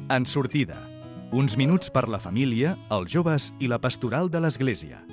En sortida. Uns minuts per la família, els joves i la pastoral de l'Església.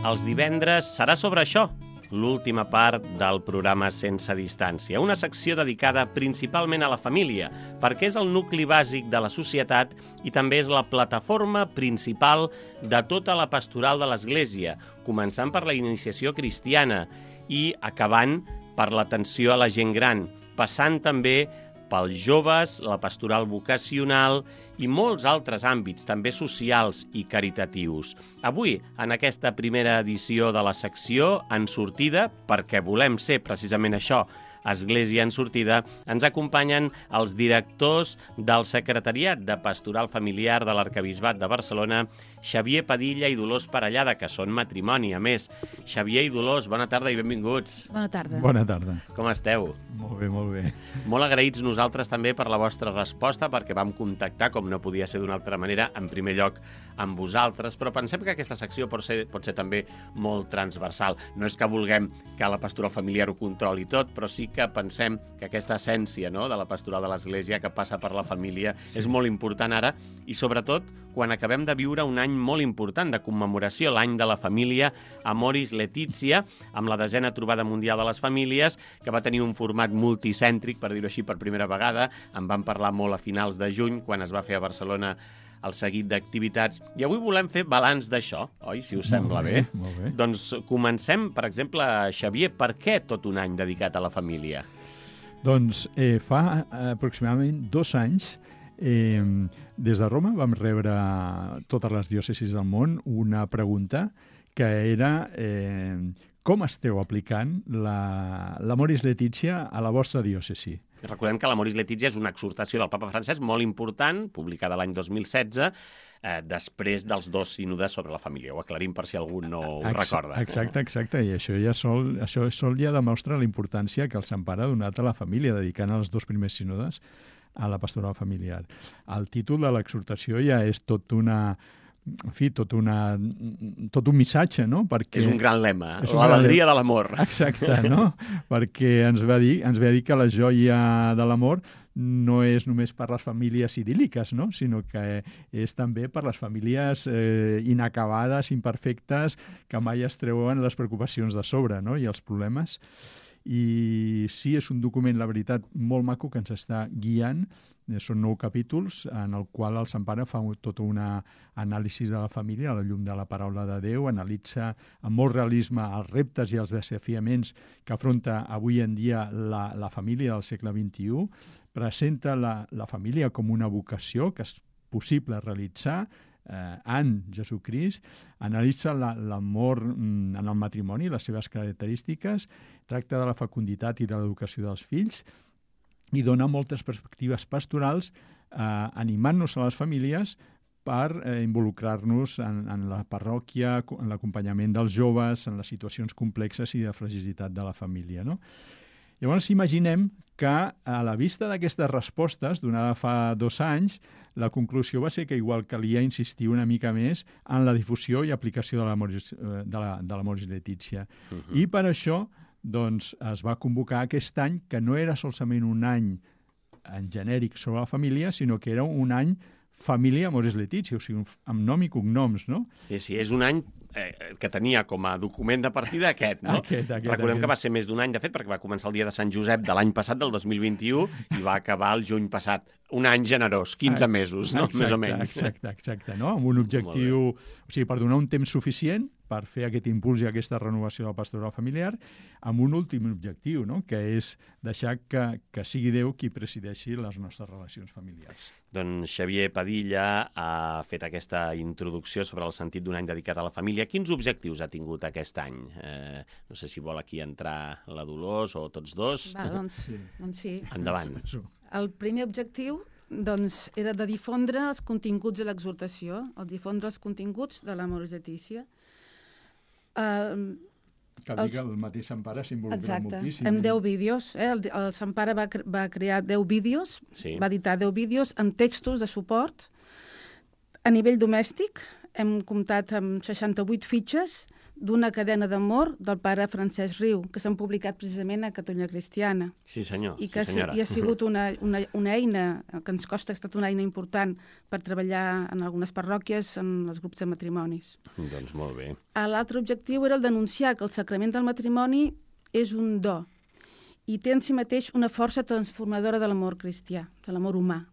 Els divendres serà sobre això, l'última part del programa Sense Distància, una secció dedicada principalment a la família, perquè és el nucli bàsic de la societat i també és la plataforma principal de tota la pastoral de l'Església, començant per la iniciació cristiana i acabant per l'atenció a la gent gran, passant també pels joves, la pastoral vocacional i molts altres àmbits, també socials i caritatius. Avui, en aquesta primera edició de la secció En sortida, perquè volem ser precisament això, Església en sortida, ens acompanyen els directors del Secretariat de Pastoral Familiar de l'Arquebisbat de Barcelona, Xavier Padilla i Dolors Parellada, que són matrimoni, a més. Xavier i Dolors, bona tarda i benvinguts. Bona tarda. Bona tarda. Com esteu? Molt bé, molt bé. Molt agraïts nosaltres també per la vostra resposta, perquè vam contactar, com no podia ser d'una altra manera, en primer lloc amb vosaltres, però pensem que aquesta secció pot ser també molt transversal. No és que vulguem que la pastoral familiar ho controli tot, però sí que pensem que aquesta essència, no?, de la pastoral de l'Església que passa per la família és molt important ara, i sobretot quan acabem de viure un any molt important de commemoració, l'any de la família Amoris Laetitia, amb la 10a trobada mundial de les famílies, que va tenir un format multicèntric, per dir-ho així, per primera vegada. En vam parlar molt a finals de juny, quan es va fer a Barcelona el seguit d'activitats. I avui volem fer balanç d'això, oi? Si us sembla bé. Molt bé. Doncs comencem, per exemple, Xavier, per què tot un any dedicat a la família? Doncs fa aproximadament 2 anys, des de Roma vam rebre totes les diòcesis del món una pregunta que era com esteu aplicant l'Amoris Laetitia a la vostra diòcesi? Recordem que l'Amoris Laetitia és una exhortació del papa Francesc molt important, publicada l'any 2016, després dels 2 sínodes sobre la família. Ho aclarim per si algú no ho recorda. Exacte. I això sol ja demostra la importància que el Sant Pare ha donat a la família, dedicant els 2 primers sínodes a la pastoral familiar. El títol de l'exhortació ja és tot un missatge, no? Perquè és un gran lema, l'alegria de l'amor. Exacte, no? Perquè ens ve a dir que la joia de l'amor no és només per les famílies idíl·liques, no? Sinó que és també per les famílies inacabades, imperfectes, que mai es treuen les preocupacions de sobre, no? I els problemes. I sí, és un document, la veritat, molt maco que ens està guiant. Són 9 capítols en el qual el Sant Pare fa tota una anàlisi de la família a la llum de la paraula de Déu, analitza amb molt realisme els reptes i els desafiaments que afronta avui en dia la família del segle XXI, presenta la família com una vocació que és possible realitzar en Jesucrist, analitza l'amor en el matrimoni, les seves característiques, tracta de la fecunditat i de l'educació dels fills i dona moltes perspectives pastorals animant-nos a les famílies per involucrar-nos en la parròquia, en l'acompanyament dels joves, en les situacions complexes i de fragilitat de la família, no? Llavors imaginem que a la vista d'aquestes respostes, donada fa 2 anys, la conclusió va ser que igual calia insistir una mica més en la difusió i aplicació de l'Amoris Laetitia. I per això doncs, es va convocar aquest any, que no era solament un any en genèric sobre la família, sinó que era un any Família Amoris Laetitia, o sigui, amb nom i cognoms, no? Sí, és un any que tenia com a document de partida aquest, no? Recordem que va ser més d'un any, de fet, perquè va començar el dia de Sant Josep de l'any passat, del 2021, i va acabar el juny passat. Un any generós, 15 mesos, no? Més o menys. Exacte, no? Amb un objectiu, o sigui, per donar un temps suficient per fer aquest impuls i aquesta renovació de la pastoral familiar, amb un últim objectiu, no?, que és deixar que sigui Déu qui presideixi les nostres relacions familiars. Doncs Xavier Padilla ha fet aquesta introducció sobre el sentit d'un any dedicat a la família. Quins objectius ha tingut aquest any? No sé si vol aquí entrar la Dolors o tots dos. Doncs sí. Endavant. El primer objectiu era de difondre els continguts de l'exhortació, difondre els continguts de l'Amoris Laetitia. Cal dir que el mateix Sant Pare s'involucra moltíssim. Exacte, amb 10 vídeos. El Sant Pare va crear 10 vídeos, va editar 10 vídeos amb textos de suport. A nivell domèstic hem comptat amb 68 fitxes d'una cadena d'amor del pare Francesc Riu, que s'han publicat precisament a Catalunya Cristiana. Sí, senyor. I que sí, senyora. ha sigut una eina que ens costa, ha estat una eina important per treballar en algunes parròquies, en els grups de matrimonis. Doncs molt bé. L'altre objectiu era el denunciar que el sacrament del matrimoni és un do i té en si mateix una força transformadora de l'amor cristià, de l'amor humà.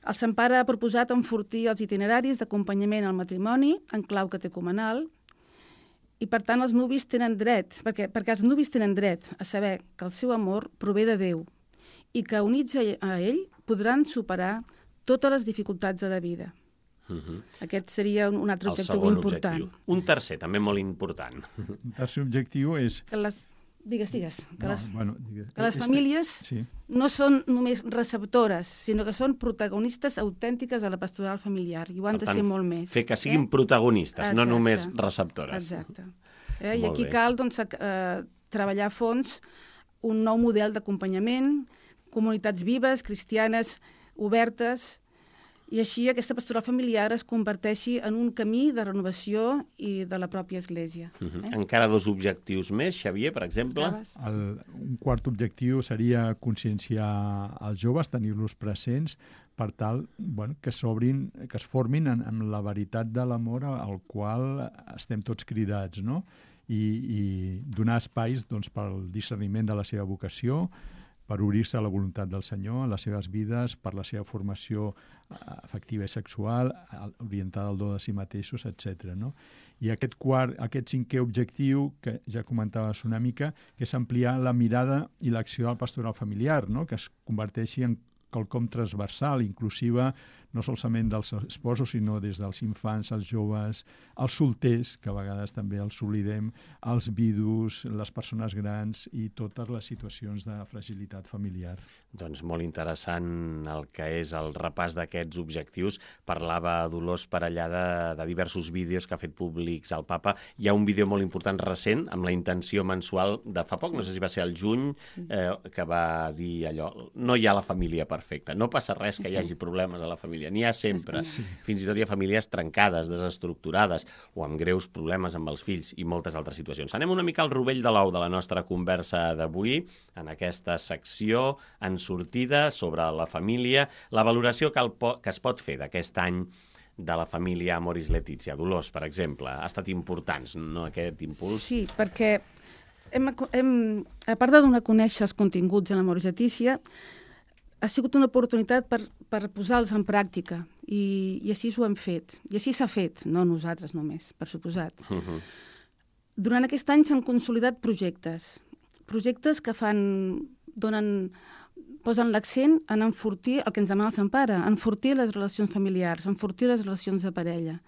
El Sant Pare ha proposat enfortir els itineraris d'acompanyament al matrimoni en clau catecumenal i, per tant, els nuvis tenen dret, perquè els nuvis tenen dret a saber que el seu amor prové de Déu i que, units a ell, podran superar totes les dificultats de la vida. Aquest seria un altre objectiu important. Un tercer, també molt important. Un tercer objectiu és... Digues. Que les famílies sí. no són només receptores, sinó que són protagonistes autèntiques de la pastoral familiar, i ho han de ser molt més. Fer que siguin protagonistes, no només receptores. Exacte. I aquí cal treballar a fons un nou model d'acompanyament, comunitats vives, cristianes, obertes, i així aquesta pastoral familiar es converteixi en un camí de renovació i de la pròpia Església. Encara 2 objectius més, Xavier, per exemple. Un quart objectiu seria conscienciar els joves, tenir-los presents, per tal que es formin en la veritat de l'amor al qual estem tots cridats, no? I donar espais pel discerniment de la seva vocació, per obrir-se a la voluntat del Senyor, a les seves vides, per la seva formació afectiva i sexual, orientada al do de si mateixos, etc. No? I aquest 5è objectiu, que ja comentaves una mica, que és ampliar la mirada i l'acció del pastoral familiar, no? Que es converteixi en quelcom transversal, inclusiva, no solament dels esposos, sinó des dels infants, els joves, els solters, que a vegades també els oblidem, els vidus, les persones grans i totes les situacions de fragilitat familiar. Doncs molt interessant el que és el repàs d'aquests objectius. Parlava Dolors Parellada de diversos vídeos que ha fet públics al Papa. Hi ha un vídeo molt important recent, amb la intenció mensual de fa poc, no sé si va ser el juny, que va dir allò, no hi ha la família perfecta, no passa res que hi hagi problemes a la família, n'hi ha sempre. Fins i tot hi ha famílies trencades, desestructurades, o amb greus problemes amb els fills i moltes altres situacions. Anem una mica al rovell de l'ou de la nostra conversa d'avui, en aquesta secció en sortida sobre la família, la valoració que es pot fer d'aquest any de la família Amoris Laetitia. Dolors, per exemple, ha estat important, no, aquest impuls? Sí, perquè a part de donar a conèixer els continguts de l'Amoris Laetitia, ha sigut una oportunitat per posar-los en pràctica, i així ho hem fet. I així s'ha fet, no nosaltres només, per suposat. Durant aquest any s'han consolidat projectes que posen l'accent en enfortir el que ens demana el Sant Pare, enfortir les relacions familiars, enfortir les relacions de parella.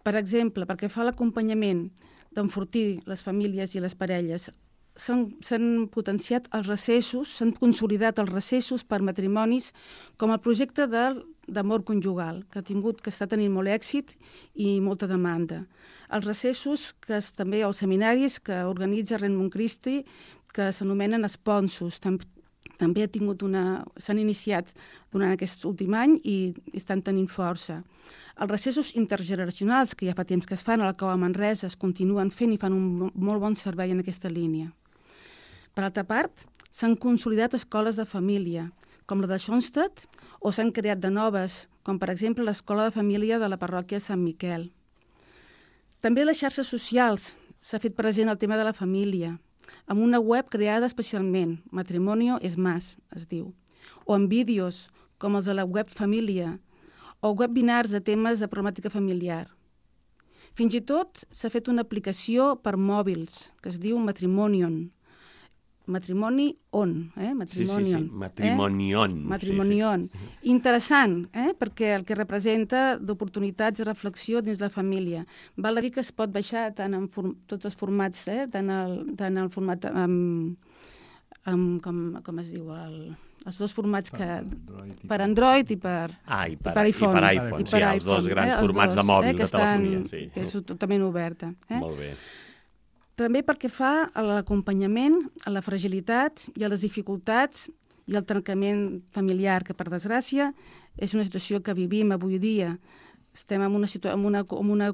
Per exemple, perquè fa l'acompanyament d'enfortir les famílies i les parelles, s'han potenciat els recessos, s'han consolidat els recessos per matrimonis com el projecte d'amor conjugal, que està tenint molt èxit i molta demanda. Els recessos, també els seminaris que organitza Renmund Christi, que s'anomenen esponsos, també s'han iniciat durant aquest últim any i estan tenint força. Els recessos intergeneracionals, que ja fa temps que es fan a la Cova Manresa, es continuen fent i fan un molt bon servei en aquesta línia. Per altra part, s'han consolidat escoles de família, com la de Schoenstatt, o s'han creat de noves, com per exemple l'Escola de Família de la parròquia Sant Miquel. També a les xarxes socials s'ha fet present el tema de la família, amb una web creada especialment, Matrimonio es Más, es diu, o amb vídeos, com els de la web Família, o webinars de temes de problemàtica familiar. Fins i tot s'ha fet una aplicació per mòbils, que es diu Matrimonion. Matrimoni on, Matrimonion. Matrimonion. Matrimonion. Interessant, perquè el que representa d'oportunitats de reflexió dins la família. Val a dir que es pot baixar tant en tots els formats, tant el format com es diu, els dos formats per Android i per iPhone. I per iPhone, sí, els dos grans formats de mòbil, de telefonia. Que és totalment oberta. Molt bé. També perquè fa a l'acompanyament, a la fragilitat i a les dificultats i al trencament familiar, que per desgràcia és una situació que vivim avui dia estem en una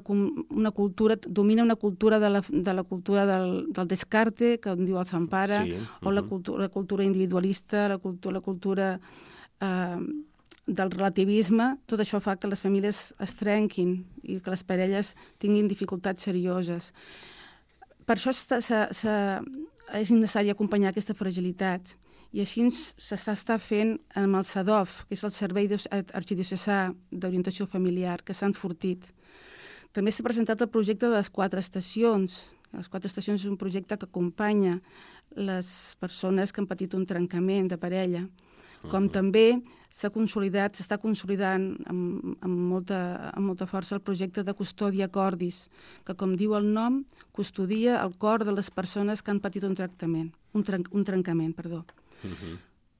cultura, domina una cultura de la cultura del descarte, que en diu el Sant Pare, o la cultura individualista, la cultura del relativisme. Tot això fa que les famílies es trenquin i que les parelles tinguin dificultats serioses. Per això és necessari acompanyar aquesta fragilitat. I així s'està fent amb el SADOF, que és el Servei Arxidiocesà d'Orientació Familiar, que s'ha enfortit. També s'ha presentat el projecte de les 4 estacions. Les 4 estacions és un projecte que acompanya les persones que han patit un trencament de parella. Com també s'està consolidant amb molta força el projecte de Custòdia Cordis, que, com diu el nom, custodia el cor de les persones que han patit un trencament.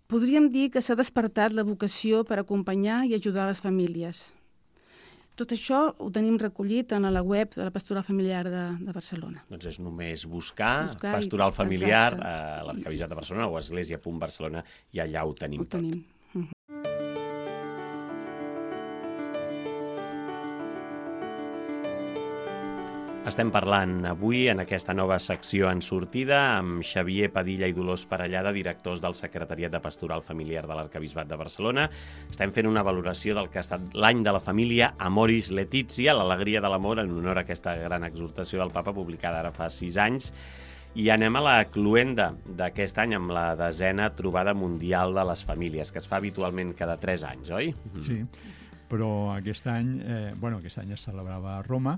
Podríem dir que s'ha despertat la vocació per acompanyar i ajudar les famílies. Tot això ho tenim recollit en la web de la Pastoral Familiar de Barcelona. Doncs és només buscar Pastoral Familiar a l'Arquebisbat de Barcelona o església.barcelona i allà ho tenim tot. Estem parlant avui en aquesta nova secció en sortida amb Xavier Padilla i Dolors Parellada, directors del Secretariat de Pastoral Familiar de l'Arquebisbat de Barcelona. Estem fent una valoració del que ha estat l'any de la família Amoris Laetitia, l'alegria de l'amor, en honor a aquesta gran exhortació del papa publicada ara fa 6 anys. I anem a la cloenda d'aquest any amb la 10a trobada mundial de les famílies, que es fa habitualment cada 3 anys, oi? Sí, però aquest any es celebrava a Roma,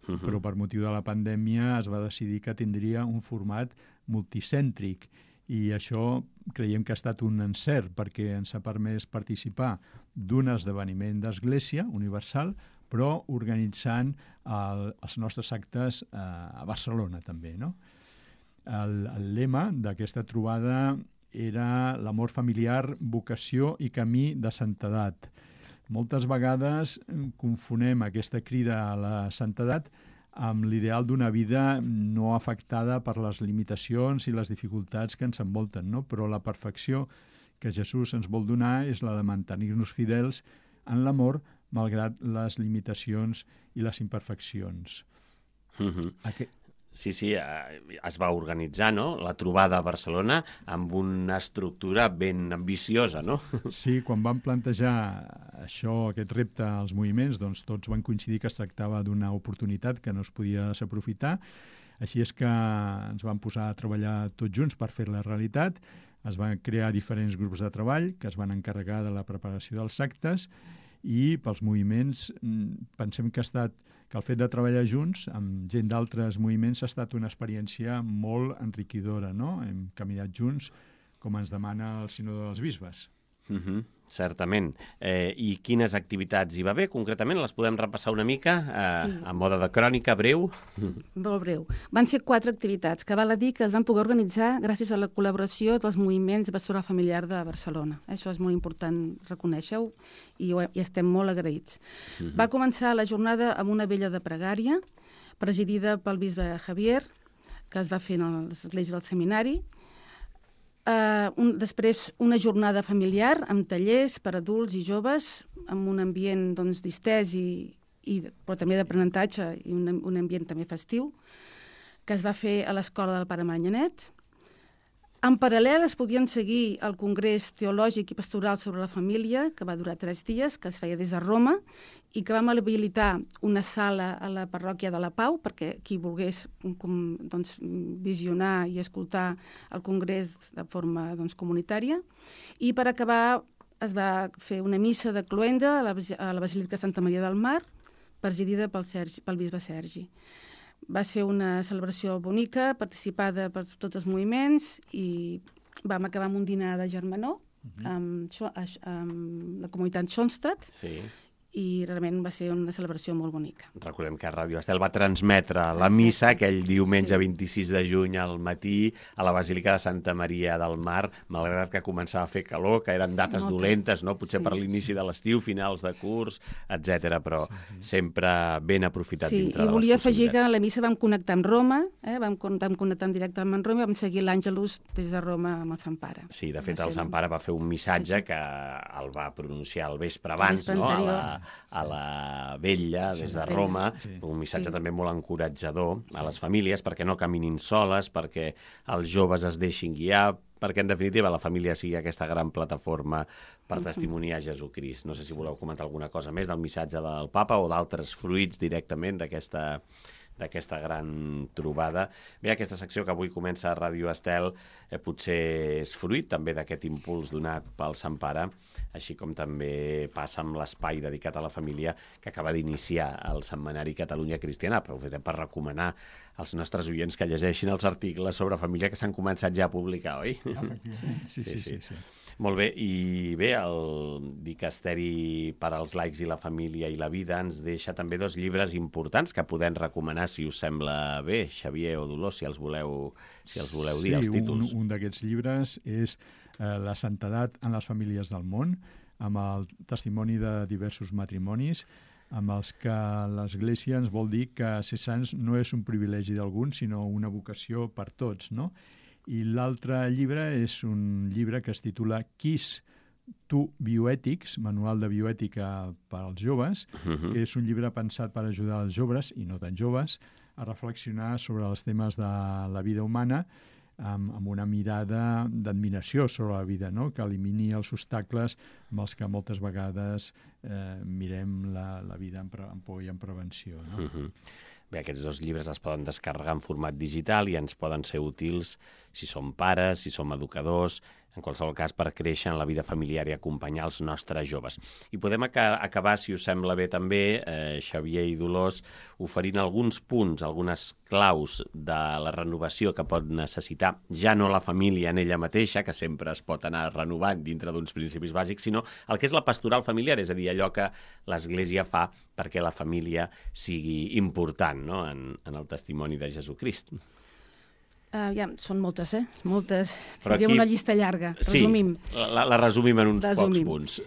però per motiu de la pandèmia es va decidir que tindria un format multicèntric i això creiem que ha estat un encert perquè ens ha permès participar d'un esdeveniment d'Església universal, però organitzant els nostres actes a Barcelona també, no? El lema d'aquesta trobada era l'amor familiar, vocació i camí de santedat. Moltes vegades confonem aquesta crida a la santedat amb l'ideal d'una vida no afectada per les limitacions i les dificultats que ens envolten, no? Però la perfecció que Jesús ens vol donar és la de mantenir-nos fidels en l'amor malgrat les limitacions i les imperfeccions. Sí, es va organitzar, no?, la trobada a Barcelona amb una estructura ben ambiciosa, no? Sí, quan vam plantejar aquest repte als moviments, doncs tots van coincidir que es tractava d'una oportunitat que no es podia desaprofitar. Així és que ens vam posar a treballar tots junts per fer la realitat. Es van crear diferents grups de treball que es van encarregar de la preparació dels actes i pels moviments pensem que el fet de treballar junts amb gent d'altres moviments ha estat una experiència molt enriquidora, no? Hem caminat junts, com ens demana el Sínode dels Bisbes. Certament. I quines activitats hi va haver? Concretament, les podem repassar una mica a mode de crònica breu? Molt breu. Van ser 4 activitats que val a dir que es van poder organitzar gràcies a la col·laboració dels moviments de Pastoral Familiar de Barcelona. Això és molt important, reconèixer-ho, i estem molt agraïts. Va començar la jornada amb una vella de pregària, presidida pel bisbe Javier, que es va fer a l'església del seminari. Després una jornada familiar amb tallers per adults i joves amb un ambient distès però també d'aprenentatge i un ambient també festiu que es va fer a l'escola del Pare Manyanet. En paral·lel es podien seguir el Congrés Teològic i Pastoral sobre la Família, que va durar 3 dies, que es feia des de Roma, i que vam habilitar una sala a la parròquia de la Pau, perquè qui volgués visionar i escoltar el Congrés de forma comunitària. I per acabar es va fer una missa de cloenda a la Basílica de Santa Maria del Mar, presidida pel bisbe Sergi. Va ser una celebració bonica, participada per tots els moviments, i vam acabar amb un dinar de germanor amb la comunitat Schoenstatt, i realment va ser una celebració molt bonica. Recordem que Ràdio Estel va transmetre la missa aquell diumenge 26 de juny al matí a la Basílica de Santa Maria del Mar, malgrat que començava a fer calor, que eren dates dolentes, no? Potser per l'inici de l'estiu, finals de curs, etc. Però sempre ben aprofitat dintre de les possibilitats. I volia afegir que a la missa vam connectar amb Roma, vam connectar en directe amb Roma i vam seguir l'Àngelus des de Roma amb el Sant Pare. Sí, de fet el Sant Pare va fer un missatge que el va pronunciar el vespre abans, no? a la Vetlla, des de Roma, un missatge també molt encoratjador a les famílies, perquè no caminin soles, perquè els joves es deixin guiar, perquè, en definitiva, la família sigui aquesta gran plataforma per testimoniar Jesucrist. No sé si voleu comentar alguna cosa més del missatge del papa o d'altres fruits directament d'aquesta gran trobada. Bé, aquesta secció que avui comença a Ràdio Estel potser és fruit també d'aquest impuls donat pel Sant Pare, així com també passa amb l'espai dedicat a la família que acaba d'iniciar el setmanari Catalunya Cristiana. Aprofitem per recomanar als nostres oients que llegeixin els articles sobre família que s'han començat ja a publicar, oi? Sí. Molt bé, i bé, el Dicasteri per als laics i la família i la vida ens deixa també 2 llibres importants que podem recomanar, si us sembla bé, Xavier o Dolors, si els voleu dir, els títols. Un d'aquests llibres és La santedat en les famílies del món, amb el testimoni de diversos matrimonis, amb els que l'Església ens vol dir que ser sants no és un privilegi d'alguns, sinó una vocació per tots, no? I l'altre llibre és un llibre que es titula Quis tu bioètics, manual de bioètica per als joves, que és un llibre pensat per ajudar els joves, i no tan joves, a reflexionar sobre els temes de la vida humana amb una mirada d'admiració sobre la vida, no? Que elimini els obstacles amb els que moltes vegades mirem la vida amb por i amb prevenció, no? Bé, aquests 2 llibres es poden descarregar en format digital i ens poden ser útils si som pares, si som educadors, en qualsevol cas per créixer en la vida familiar i acompanyar els nostres joves. I podem acabar, si us sembla bé també, Xavier i Dolors, oferint alguns punts, algunes claus de la renovació que pot necessitar ja no la família en ella mateixa, que sempre es pot anar renovant dintre d'uns principis bàsics, sinó el que és la pastoral familiar, és a dir, allò que l'Església fa perquè la família sigui important, no?, en el testimoni de Jesucrist. Ja, són moltes, moltes. Faríem una llista llarga. Resumim. Sí, la resumim en uns pocs punts.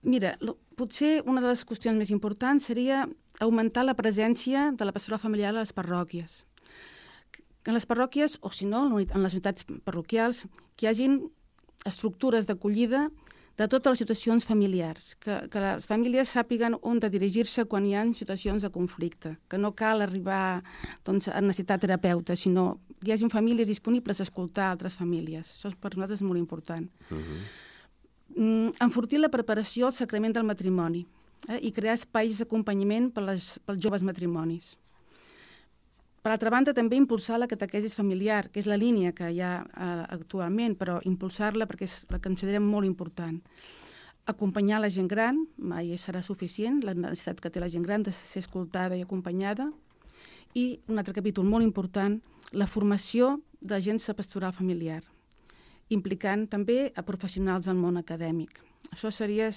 Mira, potser una de les qüestions més importants seria augmentar la presència de la pastoral familiar a les parròquies. En les parròquies, o si no, en les unitats parroquials, que hi hagin estructures d'acollida de totes les situacions familiars, que les famílies sàpiguen on de dirigir-se quan hi ha situacions de conflicte, que no cal arribar a necessitar terapeuta, sinó que hi hagin famílies disponibles a escoltar altres famílies. Això per nosaltres és molt important. Enfortir la preparació al sacrament del matrimoni i crear espais d'acompanyament pels joves matrimonis. Per altra banda, també impulsar la catequesis familiar, que és la línia que hi ha actualment, però impulsar-la perquè és la que considerem molt important. Acompanyar la gent gran, mai serà suficient, la necessitat que té la gent gran de ser escoltada i acompanyada. I un altre capítol molt important, la formació d'agents de pastoral familiar, implicant també a professionals del món acadèmic. Això seria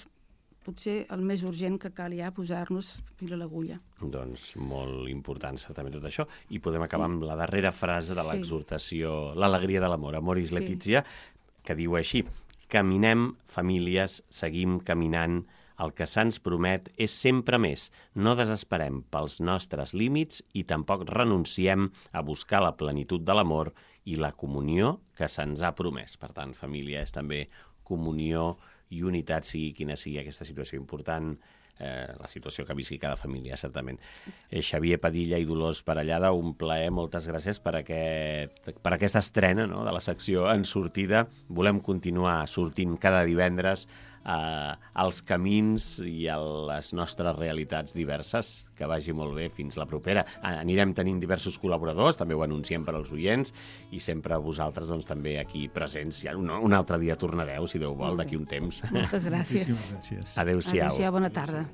potser el més urgent que cal ja posar-nos fil a l'agulla. Doncs molt important, certament, tot això. I podem acabar amb la darrera frase de l'exhortació, l'alegria de l'amor, Amoris Laetitia, que diu així: caminem, famílies, seguim caminant, el que se'ns promet és sempre més. No desesperem pels nostres límits i tampoc renunciem a buscar la plenitud de l'amor i la comunió que se'ns ha promès. Per tant, família és també comunió i unitat, sigui quina sigui aquesta situació important, la situació que visqui cada família, certament. Xavier Padilla i Dolors Parellada, un plaer, moltes gràcies per aquesta estrena, no?, de la secció En Sortida. Volem continuar sortint cada divendres als camins i a les nostres realitats diverses. Que vagi molt bé, fins la propera. Anirem tenint diversos col·laboradors, també ho anunciem per als oients, i sempre vosaltres doncs, també aquí presents. Ja un altre dia tornareu, si Déu vol, d'aquí un temps. Moltes gràcies. Gràcies. Adéu-siau. Adéu-siau, bona tarda.